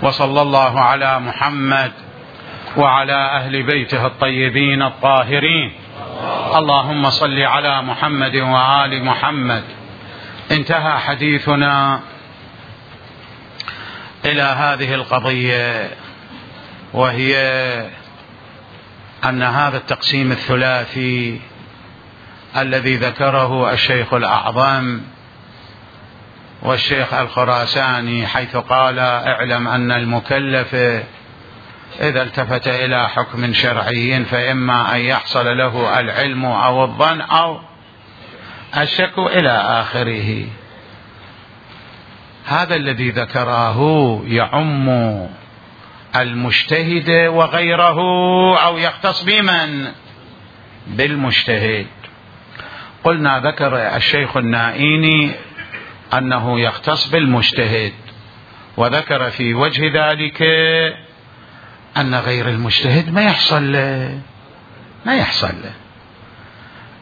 وصلى الله على محمد وعلى أهل بيته الطيبين الطاهرين. اللهم صل على محمد وآل محمد. انتهى حديثنا إلى هذه القضية، وهي أن هذا التقسيم الثلاثي الذي ذكره الشيخ الأعظم والشيخ الخراساني، حيث قال: اعلم أن المكلف إذا التفت إلى حكم شرعي فإما أن يحصل له العلم أو الظن أو الشك إلى آخره. هذا الذي ذكره يعم المجتهد وغيره، أو يختص بمن؟ بالمجتهد. قلنا ذكر الشيخ النائيني أنه يختص بالمجتهد، وذكر في وجه ذلك أن غير المجتهد ما يحصل له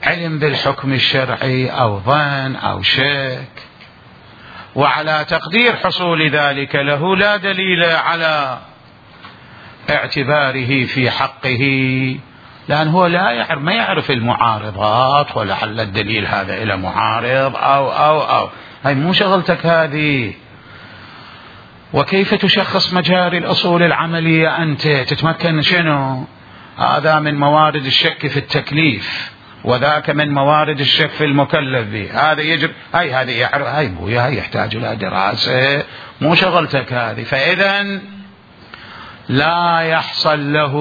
علم بالحكم الشرعي أو ظن أو شك، وعلى تقدير حصول ذلك له لا دليل على اعتباره في حقه، لأن هو ما يعرف المعارضات، ولعل الدليل هذا إلى معارض أو هاي مو شغلتك هذه. وكيف تشخص مجاري الأصول العملية؟ أنت تتمكن شنو؟ هذا من موارد الشك في التكليف، وذاك من موارد الشك في المكلف به. هذا يجب هذه يعرف، هاي بويا هاي يحتاج إلى دراسة، مو شغلتك هذه. فإذا لا يحصل له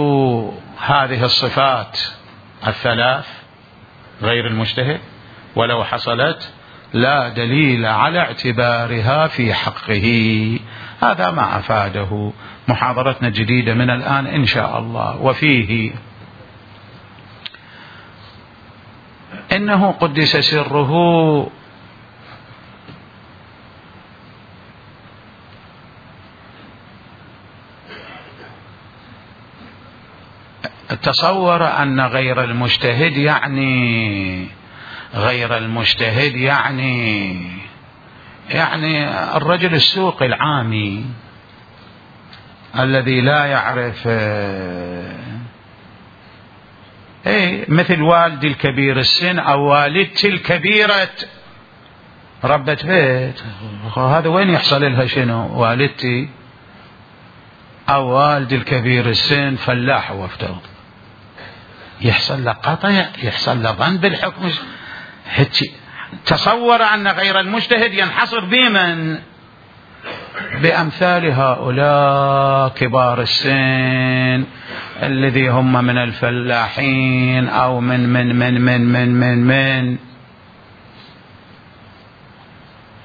هذه الصفات الثلاث غير المجتهد، ولو حصلت لا دليل على اعتبارها في حقه. هذا ما أفاده محاضرتنا الجديدة من الآن إن شاء الله. وفيه إنه قدس سره تصور أن غير المجتهد يعني الرجل السوق العامي الذي لا يعرف، مثل والدي الكبير السن أو والدتي الكبيرة ربة بيت، هذا وين يحصل لها شنو؟ والدتي أو والدي الكبير السن فلاح وافترض، يحصل له قطع، يحصل له ظن بالحكم. تصور أن غير المجتهد ينحصر بمن؟ بأمثال هؤلاء كبار السن الذي هم من الفلاحين أو من من من من من من من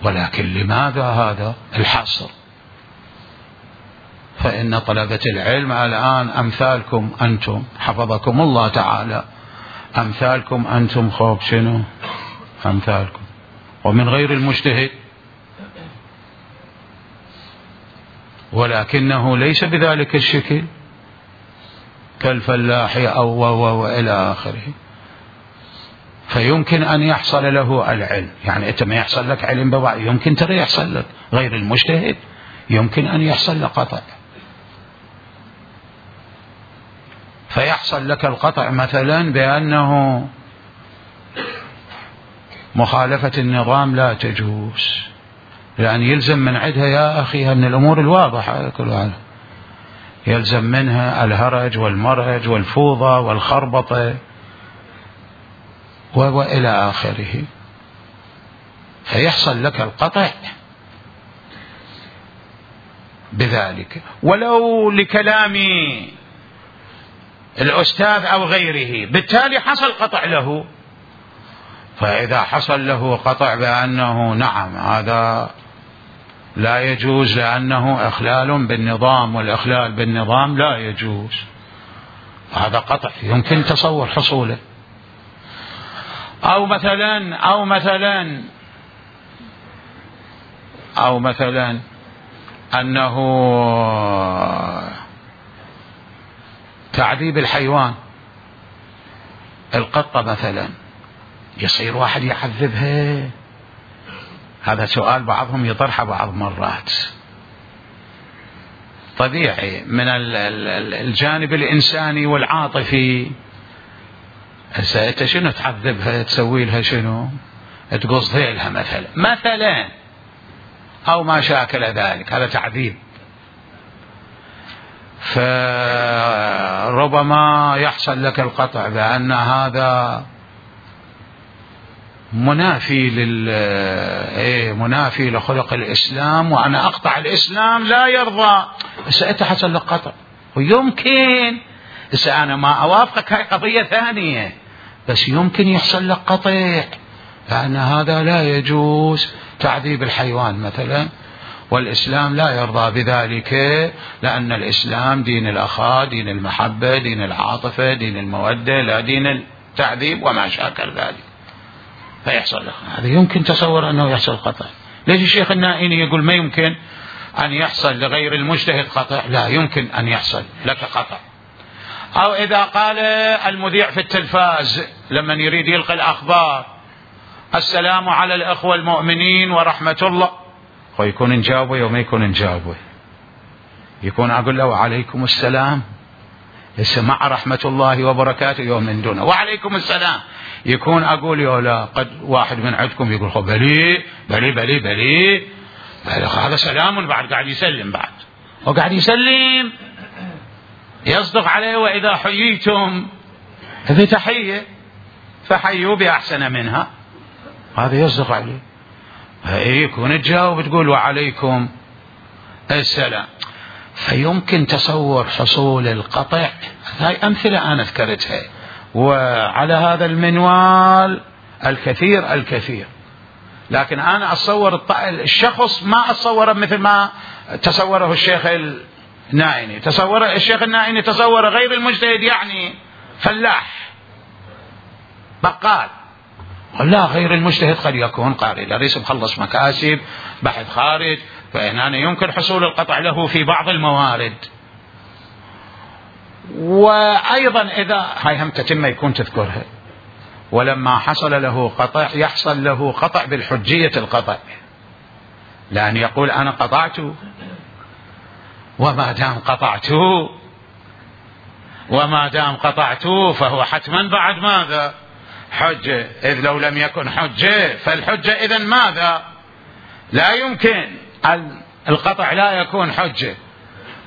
ولكن لماذا هذا الحصر؟ فإن طلبة العلم الآن أمثالكم أنتم، حفظكم الله تعالى، أمثالكم أنتم، خوف شنو أمثالكم، ومن غير المجتهد، ولكنه ليس بذلك الشكل كالفلاح أو إلى آخره. فيمكن أن يحصل له العلم، يعني أنت ما يحصل لك علم ببعض، يمكن ترى يحصل لك. غير المجتهد يمكن أن يحصل لك قطع، فيحصل لك القطع مثلا بأنه مخالفة النظام لا تجوز، لأن يلزم من عندها يا أخي من الأمور الواضحة كلها، يلزم منها الهرج والمرج والفوضى والخربطة وإلى آخره، فيحصل لك القطع بذلك. ولو لكلام الأستاذ أو غيره بالتالي حصل قطع له، فإذا حصل له قطع بأنه نعم هذا لا يجوز لأنه إخلال بالنظام، والإخلال بالنظام لا يجوز، هذا قطع يمكن تصور حصوله. أو مثلا أنه تعذيب الحيوان، القطة مثلا، يصير واحد يعذبها. هذا سؤال بعضهم يطرحه بعض مرات، طبيعي من الجانب الإنساني والعاطفي. أنت شنو تعذبها؟ تسوي لها شنو؟ تقص ذيلها مثلا أو ما شاكل ذلك، هذا تعذيب. فربما يحصل لك القطع بأن هذا منافي لخلق الإسلام، وأنا أقطع الإسلام لا يرضى. بس أنت حصل لك قطع، ويمكن أنا ما أوافقك، هاي قضية ثانية، بس يمكن يحصل لك قطع، لأن هذا لا يجوز تعذيب الحيوان مثلا، والإسلام لا يرضى بذلك، لأن الإسلام دين الأخاء، دين المحبة، دين العاطفة، دين المودة، لا دين التعذيب وما شاكل ذلك. فيحصل لك هذا، يمكن تصور أنه يحصل قطع. ليش الشيخ النائيني يقول ما يمكن أن يحصل لغير المجتهد قطع؟ لا، يمكن أن يحصل لك قطع. أو إذا قال المذيع في التلفاز لما يريد يلقي الأخبار السلام على الأخوة المؤمنين ورحمة الله، ويكون نجاوبه يوم يكون نجاوبه، يكون أقول له وعليكم السلام، مع رحمة الله وبركاته يوم من دونه وعليكم السلام، يكون أقول يا قد واحد من عندكم يقول بلي بلي بلي بلي هذا سلام، بعد قاعد يسلم، بعد وقاعد يسلم، يصدق عليه وإذا حييتم في تحية فحيوا بأحسن منها، هذا يصدق عليه. يكون تجاوب تقول وعليكم السلام. فيمكن تصور حصول القطع. هاي أمثلة أنا ذكرتها، وعلى هذا المنوال الكثير، لكن أنا أتصور الشخص ما أتصوره مثل ما تصوره الشيخ النائيني. الشيخ النائيني تصور غير المجتهد يعني فلاح بقال، لا، غير المجتهد قد يكون قارئ دريس مخلص مكاسب بحث خارج، فهنا يمكن حصول القطع له في بعض الموارد. وأيضا إذا هاي هم تتم يكون تذكرها، ولما حصل له قطع يحصل له قطع بالحجية القطع، لأن يقول أنا قطعت، وما دام قطعت فهو حتما بعد ماذا؟ حجة، إذ لو لم يكن حجة فالحجة إذن ماذا؟ لا يمكن القطع لا يكون حجة،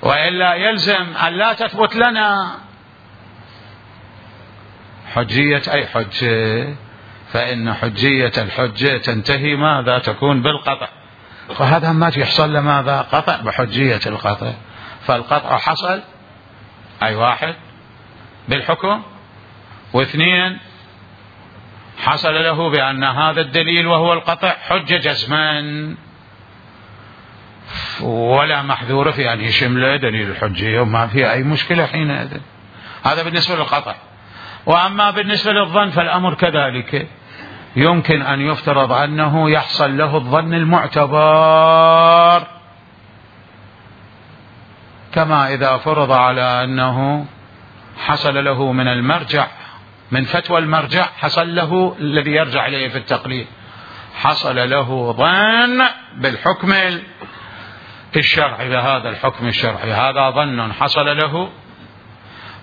وإلا يلزم أن لا تثبت لنا حجية أي حجة، فإن حجية الحجة تنتهي ماذا؟ تكون بالقطع. فهذا ما يحصل لماذا؟ قطع بحجية القطع. فالقطع حصل أي واحد بالحكم، واثنين حصل له بأن هذا الدليل وهو القطع حجة جزما، ولا محذور في أن يشمل دليل الحجية، وما في أي مشكلة حينئذ. هذا بالنسبة للقطع. وأما بالنسبة للظن فالأمر كذلك، يمكن أن يفترض أنه يحصل له الظن المعتبر، كما إذا فرض على أنه حصل له من المرجع، من فتوى المرجع حصل له الذي يرجع إليه في التقليد، حصل له ظن بالحكم الشرعي، بهذا الحكم الشرعي، هذا ظن حصل له،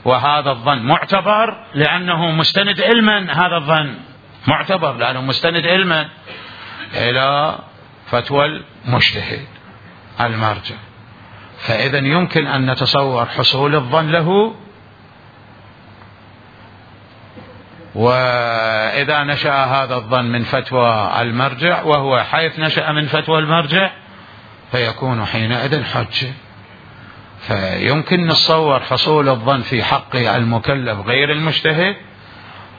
وهذا الظن معتبر لأنه مستند علما، هذا الظن معتبر لأنه مستند علما إلى فتوى المجتهد المرجع. فإذا يمكن أن نتصور حصول الظن له، وإذا نشأ هذا الظن من فتوى المرجع وهو حيث نشأ من فتوى المرجع فيكون حينئذ حجة. فيمكن نتصور حصول الظن في حق المكلف غير المجتهد،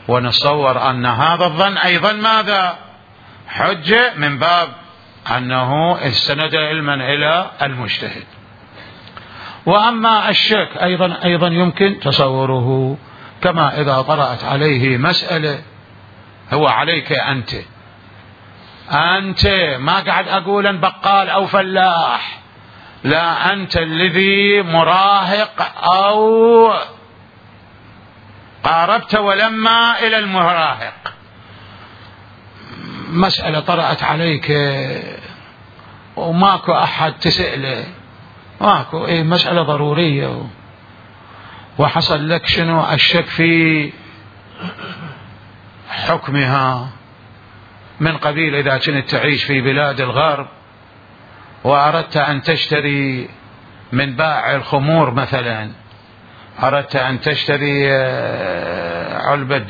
ونتصور أن هذا الظن أيضا ماذا؟ حجة، من باب أنه استند علما إلى المجتهد. وأما الشك أيضا يمكن تصوره، كما إذا طرأت عليه مسألة، هو عليك أنت ما قاعد أقول بقال أو فلاح، لا، أنت الذي مراهق أو قاربت ولما إلى المراهق، مسألة طرأت عليك وماكو أحد تسأله، ماكو مسألة ضرورية، وحصل لك شنو الشك في حكمها من قبيل إذا كنت تعيش في بلاد الغرب وأردت أن تشتري من بائع الخمور مثلا، أردت أن تشتري علبة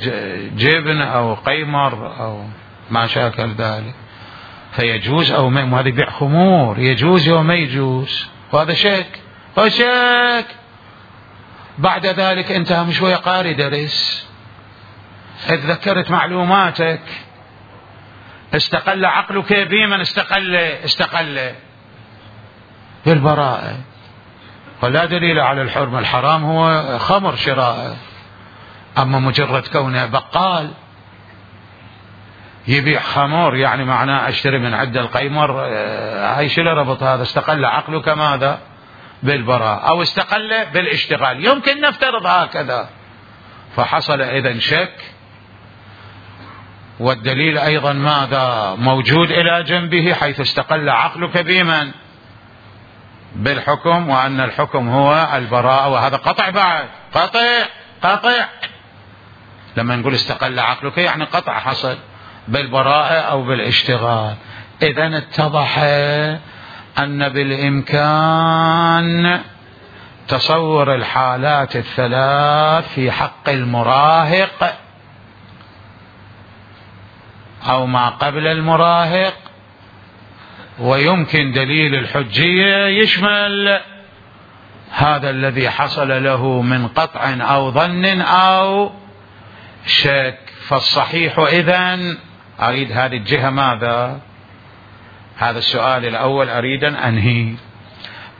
جبن أو قيمر أو ما شاكل ذلك، فيجوز أو ما، هذا بيع خمور، يجوز أو ما يجوز، وهذا شك وشك. بعد ذلك أنت هم شوية قاري درس، اتذكرت معلوماتك، استقل عقلك بمن استقل بالبراءة، ولا دليل على الحرمة. الحرام هو خمر شراءه، أما مجرد كونه بقال يبيع خمر يعني معناه أشتري من عند القيمر، هاي شو ربط هذا؟ استقل عقلك ماذا؟ بالبراءة، أو استقل بالاشتغال، يمكن نفترض هكذا. فحصل إذن شك، والدليل أيضا ماذا؟ موجود إلى جنبه، حيث استقل عقلك بمن؟ بالحكم، وأن الحكم هو البراءة، وهذا قطع بعد، قطع. لما نقول استقل عقلك يعني قطع حصل بالبراءة أو بالاشتغال. إذن اتضح أن بالإمكان تصور الحالات الثلاث في حق المراهق أو ما قبل المراهق، ويمكن دليل الحجية يشمل هذا الذي حصل له من قطع أو ظن أو شك. فالصحيح إذن، أريد هذه الجهة ماذا؟ هذا السؤال الأول أريد أن أنهي.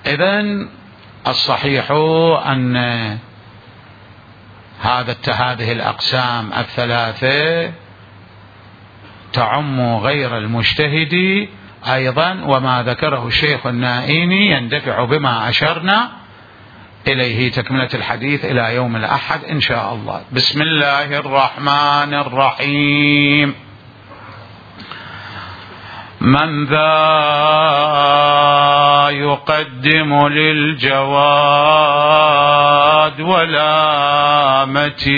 إذن الصحيح أن هذه الأقسام الثلاثة تعم غير المجتهد أيضا، وما ذكره الشيخ النائيني يندفع بما أشرنا إليه. تكملة الحديث إلى يوم الأحد إن شاء الله. بسم الله الرحمن الرحيم. من ذا يقدم للجواد ولامتي،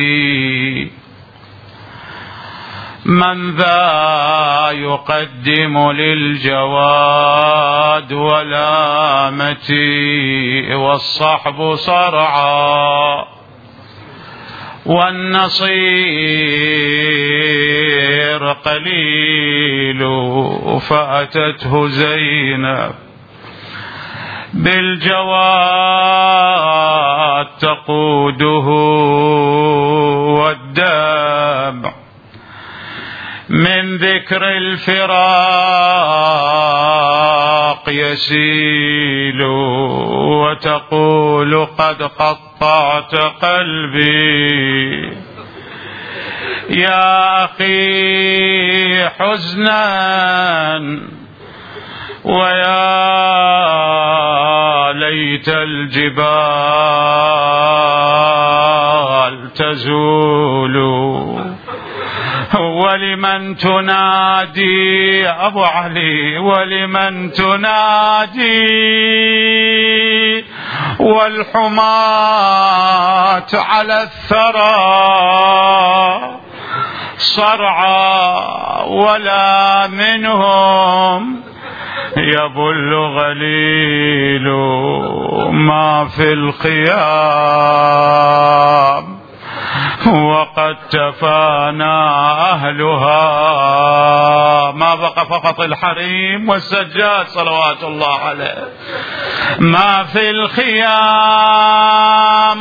من ذا يقدم للجواد ولامتي، والصحب صرعا والنصير قليل، فأتته زينب بالجواد تقوده والدمع من ذكر الفراق يسيل، وتقول قد قطعت قلبي يا أخي حزنا، ويا ليت الجبال تزول، ولمن تنادي يا أبو علي، ولمن تنادي والحماة على الثرى صرعى، ولا منهم يبل غليل ما في الخيام، وقد تفانى أهلها. ما بقى فقط الحريم والسجاد صلوات الله عليه. ما في الخيام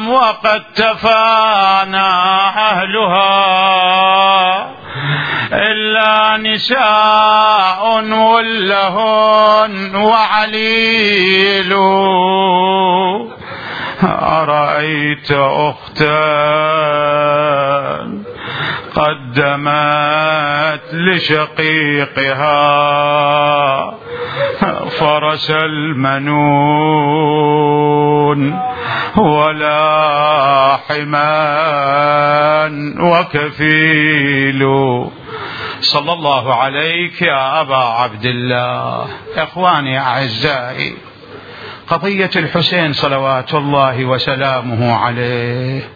وقد تفانى أهلها، إلا نساء ولهن وعليل. أرأيت أختا قدمت لشقيقها فرس المنون ولا حمان وكفيل. صلى الله عليك يا أبا عبد الله. إخواني أعزائي، قضية الحسين صلوات الله وسلامه عليه،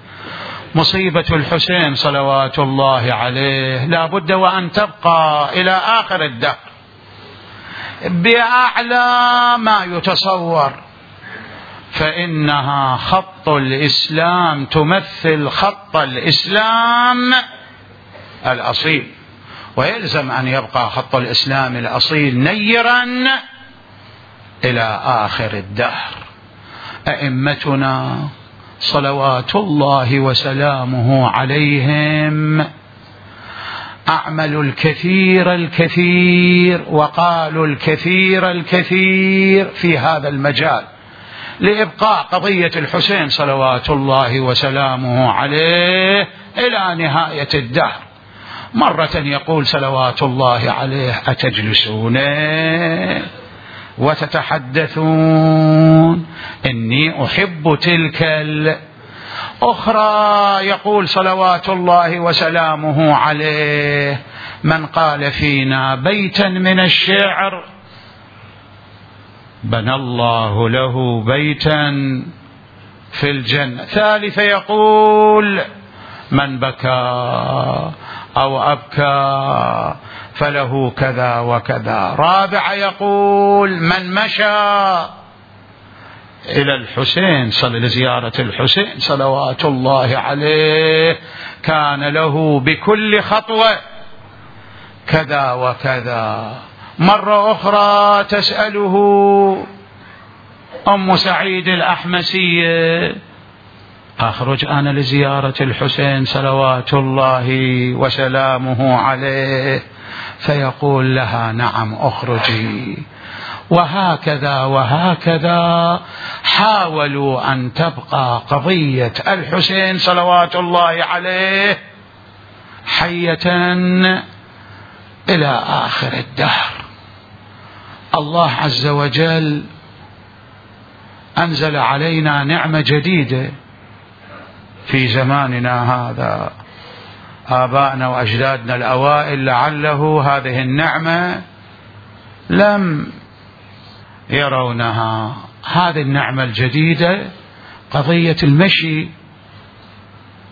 مصيبة الحسين صلوات الله عليه لا بد وأن تبقى إلى آخر الدهر بأعلى ما يتصور، فإنها خط الإسلام، تمثل خط الإسلام الأصيل، ويلزم أن يبقى خط الإسلام الأصيل نيرا إلى آخر الدهر. أئمتنا صلوات الله وسلامه عليهم أعملوا الكثير الكثير وقالوا الكثير الكثير في هذا المجال لإبقاء قضية الحسين صلوات الله وسلامه عليه إلى نهاية الدهر. مرة يقول صلوات الله عليه: أتجلسون وتتحدثون إني أحب تلك أخرى يقول صلوات الله وسلامه عليه: من قال فينا بيتا من الشعر بنى الله له بيتا في الجنة. ثالث يقول: من بكى أو أبكى فله كذا وكذا. رابع يقول: من مشى إلى الحسين لزيارة الحسين صلوات الله عليه كان له بكل خطوة كذا وكذا. مرة أخرى تسأله أم سعيد الأحمسية: أخرج أنا لزيارة الحسين صلوات الله وسلامه عليه؟ فيقول لها: نعم أخرجي. وهكذا وهكذا حاولوا أن تبقى قضية الحسين صلوات الله عليه حية إلى آخر الدهر. الله عز وجل أنزل علينا نعمة جديدة في زماننا هذا. آبائنا وأجدادنا الأوائل لعله هذه النعمة لم يرونها. هذه النعمة الجديدة قضية المشي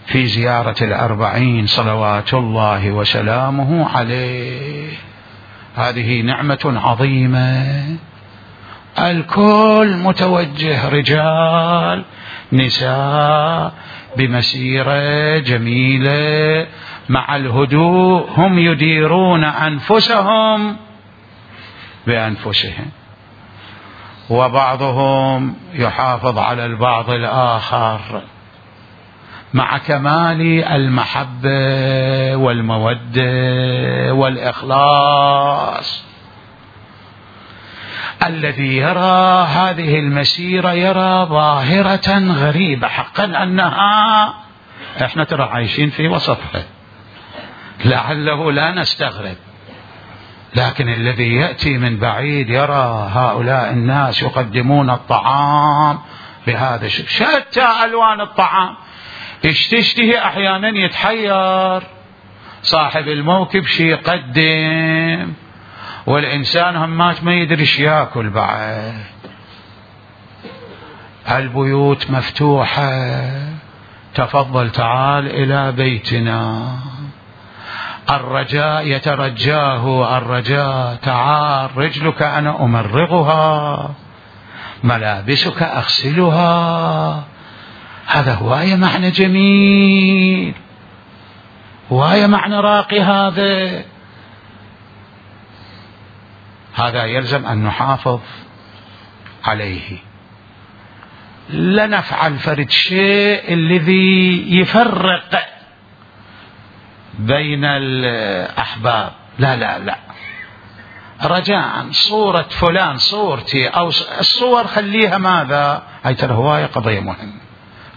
في زيارة الأربعين صلوات الله وسلامه عليه. هذه نعمة عظيمة، الكل متوجه، رجال نساء، بمسيرة جميلة مع الهدوء، هم يديرون أنفسهم بأنفسهم، وبعضهم يحافظ على البعض الآخر مع كمال المحبة والمودة والإخلاص. الذي يرى هذه المسيرة يرى ظاهرة غريبة حقا، أنها احنا ترى عايشين في وسطها، لعله لا نستغرب، لكن الذي يأتي من بعيد يرى هؤلاء الناس يقدمون الطعام بهذا الشكل، شتى ألوان الطعام، تشتهي أحيانا يتحير صاحب الموكب شي يقدم، والإنسان همات ما يدري ايش ياكل بعد. البيوت مفتوحة، تفضل تعال إلى بيتنا. الرجاء يترجاه الرجاء، تعال رجلك أنا أمرغها، ملابسك أغسلها. هذا هواية معنى جميل، هواية معنى راقي. هذا يلزم أن نحافظ عليه. لا نفعل فرد شيء الذي يفرق بين الأحباب، لا لا لا، رجاء صورة فلان صورتي أو الصور خليها ماذا، هاي ترى هواية قضية مهمة،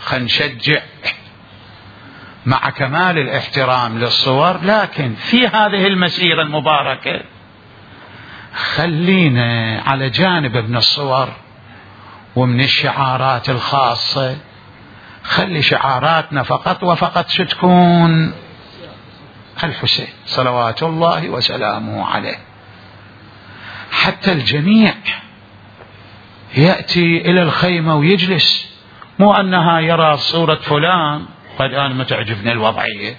خلينا نشجع مع كمال الاحترام للصور، لكن في هذه المسيرة المباركة خلينا على جانب من الصور ومن الشعارات الخاصة، خلي شعاراتنا فقط وفقط شو تكون؟ الحسين صلوات الله وسلامه عليه، حتى الجميع يأتي إلى الخيمة ويجلس، مو أنها يرى صورة فلان قد أنا ما تعجبني الوضعية،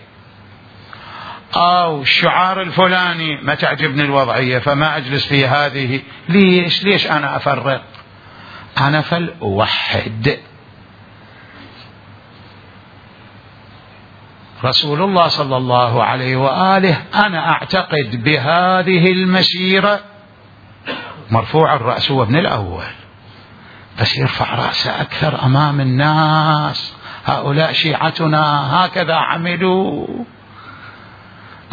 أو الشعار الفلاني ما تعجبني الوضعية فما أجلس في هذه. ليش أنا أفرق؟ أنا فلأوحد. رسول الله صلى الله عليه وآله أنا أعتقد بهذه المسيرة مرفوع الرأس هو ابن الأول، بس يرفع رأسه أكثر أمام الناس. هؤلاء شيعتنا هكذا عملوا.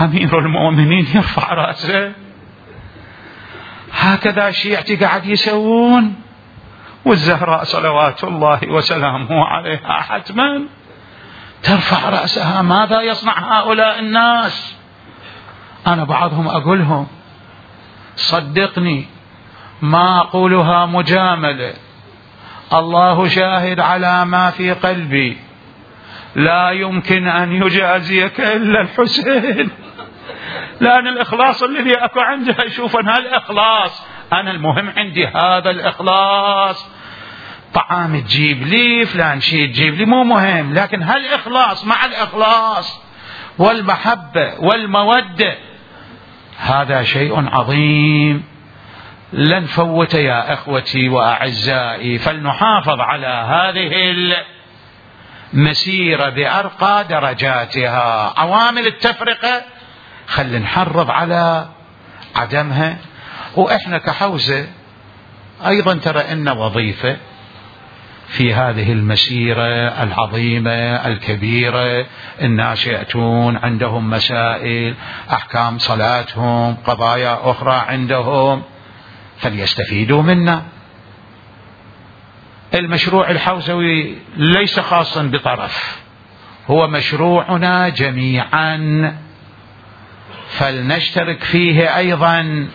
أمير المؤمنين يرفع رأسه، هكذا شيعتي قاعد يسوون. والزهراء صلوات الله وسلامه عليها حتما ترفع رأسها. ماذا يصنع هؤلاء الناس؟ أنا بعضهم أقولهم صدقني ما أقولها مجاملة، الله شاهد على ما في قلبي، لا يمكن أن يجازيك إلا الحسين، لأن الإخلاص الذي أكو عنده أشوف أن هالإخلاص أنا المهم عندي هذا الإخلاص. طعام تجيب لي، فلان شيء تجيب لي، مو مهم، لكن هالإخلاص مع الإخلاص والمحبة والمودة هذا شيء عظيم لن فوت يا أخوتي وأعزائي. فلنحافظ على هذه المسيرة بأرقى درجاتها. عوامل التفرقة خلينا نحرض على عدمها. وإحنا كحوزة أيضا ترى إن وظيفة في هذه المسيرة العظيمة الكبيرة. الناس يأتون عندهم مسائل، أحكام صلاتهم، قضايا أخرى عندهم، فليستفيدوا منا. المشروع الحوزوي ليس خاصا بطرف، هو مشروعنا جميعا، فلنشترك فيه أيضا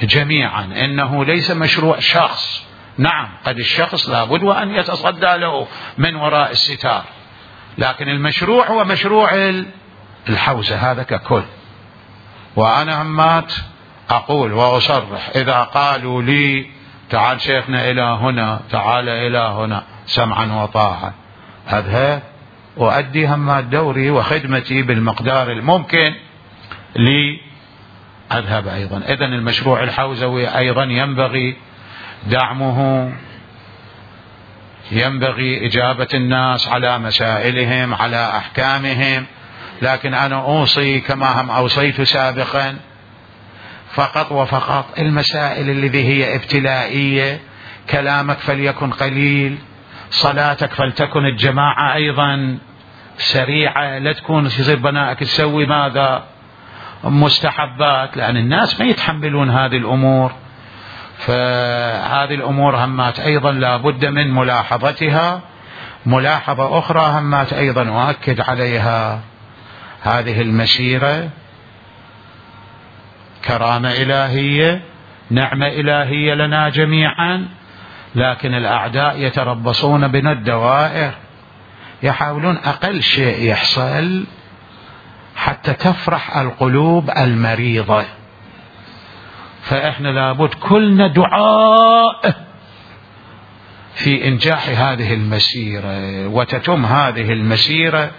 جميعا. إنه ليس مشروع شخص. نعم قد الشخص لابد وأن يتصدى له من وراء الستار، لكن المشروع هو مشروع الحوزة هذا ككل. وأنا همات أقول وأصرح، إذا قالوا لي تعال شيخنا إلى هنا، تعال إلى هنا، سمعا وطاعة، أذهب وأدي همات دوري وخدمتي بالمقدار الممكن لي، أذهب أيضا. إذن المشروع الحوزوي أيضا ينبغي دعمه، ينبغي إجابة الناس على مسائلهم، على أحكامهم. لكن أنا أوصي كما هم أوصيت سابقا فقط وفقط المسائل التي هي ابتلائية. كلامك فليكن قليل، صلاتك فلتكن الجماعة أيضا سريعة، لا تكون يصير بنائك تسوي ماذا مستحبات، لأن الناس ما يتحملون هذه الأمور. فهذه الأمور همات أيضا لا بد من ملاحظتها. ملاحظة أخرى همات أيضا أؤكد عليها، هذه المسيرة كرامة إلهية، نعمة إلهية لنا جميعا، لكن الأعداء يتربصون بنا الدوائر، يحاولون أقل شيء يحصل حتى تفرح القلوب المريضة. فإحنا لابد كلنا دعاء في إنجاح هذه المسيرة، وتتم هذه المسيرة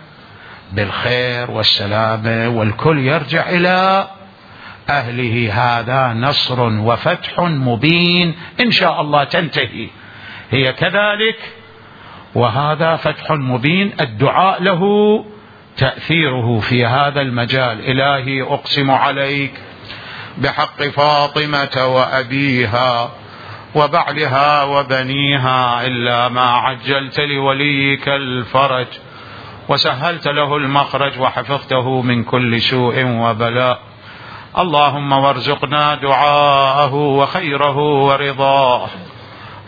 بالخير والسلامة والكل يرجع إلى أهله. هذا نصر وفتح مبين إن شاء الله تنتهي هي كذلك، وهذا فتح مبين. الدعاء له تأثيره في هذا المجال. إلهي أقسم عليك بحق فاطمة وأبيها وبعلها وبنيها إلا ما عجلت لوليك الفرج وسهلت له المخرج وحفظته من كل سوء وبلاء. اللهم وارزقنا دعاءه وخيره ورضاه.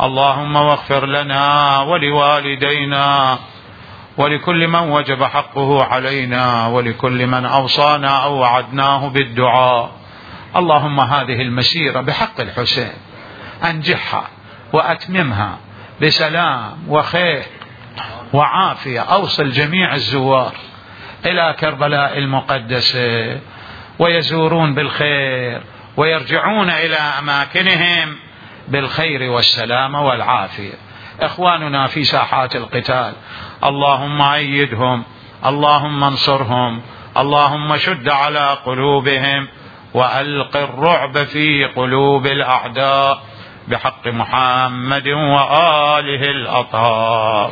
اللهم واغفر لنا ولوالدينا ولكل من وجب حقه علينا ولكل من أوصانا أو وعدناه بالدعاء. اللهم هذه المسيرة بحق الحسين أنجحها وأتممها بسلام وخير وعافية. أوصل جميع الزوار إلى كربلاء المقدسة ويزورون بالخير ويرجعون إلى أماكنهم بالخير والسلامة والعافية. إخواننا في ساحات القتال اللهم أيدهم، اللهم انصرهم، اللهم شد على قلوبهم وألق الرعب في قلوب الأعداء بحق محمد وآله الأطهار.